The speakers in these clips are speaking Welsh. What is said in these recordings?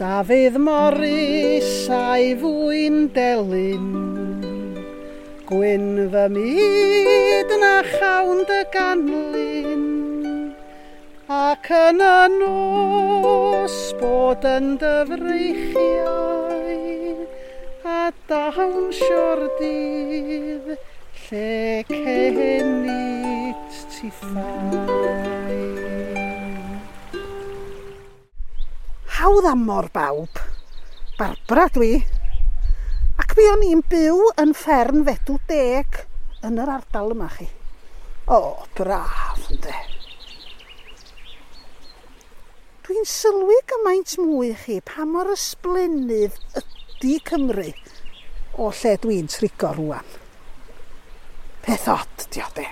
Dafydd Morris a'i fwyn delyn, Gwyn fy myd na chawn dy ganlyn, Ac yn y nos bod yn dy freichiau, A dawnsio'r dydd lle cenit tithau. Hawdd amor bawb. Barbara dwi. Ac mi o'n i'n byw yn fferm Fedw Deg yn yr ardal yma chi. O, braf ynde. Dwi'n sylwi gymaint mwy chi pa mor ysblennydd ydy Cymru o lle dwi'n trigo rwan. Peth od 'di o de.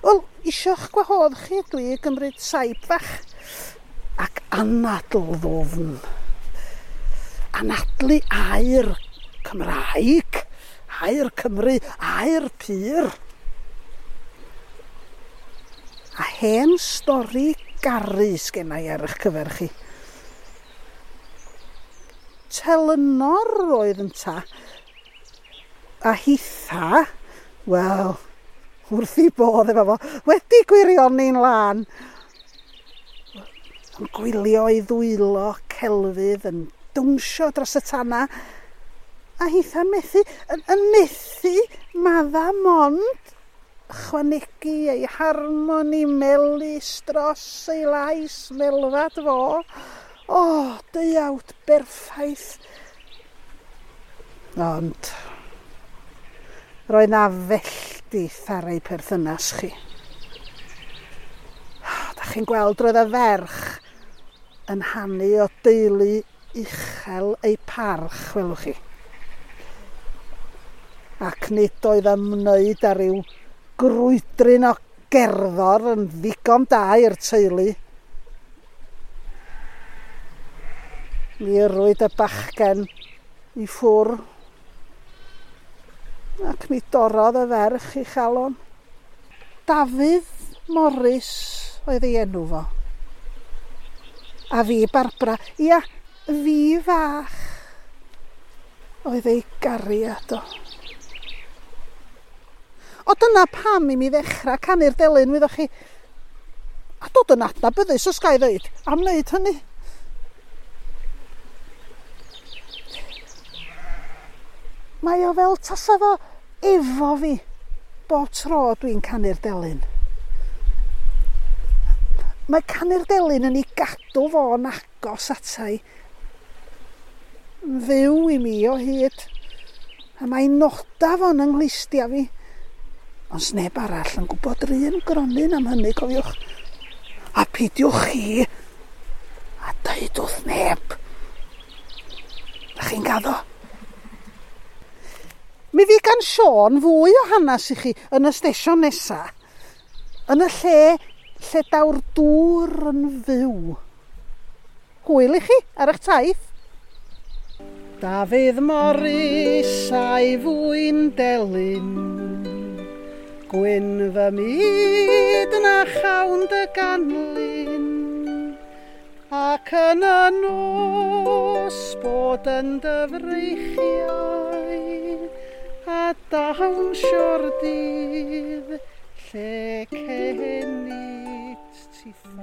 Wel, isio'ch gwahodd chi ydw i i gymryd saib fach ac anadl ddwfn. Anadlu aer Cymraeg, aer Cymru, aer pur. A hen stori garu sgenna i ar eich cyfer chi. Telynor oedd ynta, a hitha, wel, wrth i bodd efo fo, wedi gwirioni'n lân. Yn gwylio ei ddwylo celfydd yn dawnsio dros y tanna, a hitha'n methu, yn, yn methu madda mond chwanegu ei harmoni melys dros ei lais melfad fo. O, deuawd berffaith. Ond roedd 'na felldith ar ei pherthynas chi. Da chi'n gweld, roedd y ferch yn hanu o deulu uchel ei parch, welwch chi. Ac nid oedd ymwneud â rhyw grwydryn o gerddor yn ddigon da i'r teulu. Mi yrwyd y bachgen i ffwr ac mi dorrodd y ferch ei chalon. Dafydd Morris oedd ei enw fo. A fi, Barbara, ia, fi fach oedd ei gariad o. O dyna pam i mi ddechrau canu'r delyn, wyddoch chi. A dod yn adnabyddus, os ga i ddeud, am wneud hynny. Mae o fel tasa fo efo fi bob tro dwi'n canu'r delyn. Mae canu'r delyn yn ei gadw fo'n agos ata i. Yn fyw i mi o hyd. A mae noda fo'n yng nghlustia fi. Ond sneb arall yn gwybod yr un gronyn am hynny, cofiwch. A peidiwch chi a deud wrth neb. Da chi'n gaddo? Mi fydd gan Siôn fwy o hanes i chi yn y stesion nesa. Yn y lle lle daw'r dŵr yn fyw. Hwyl i chi ar eich taith. Dafydd Morris a'i fwyn delyn, Gwyn fy myd na chawn dy ganlyn, Ac yn y nos bod yn dy freichiau, A dawnsio'r dydd lle cenit tithau.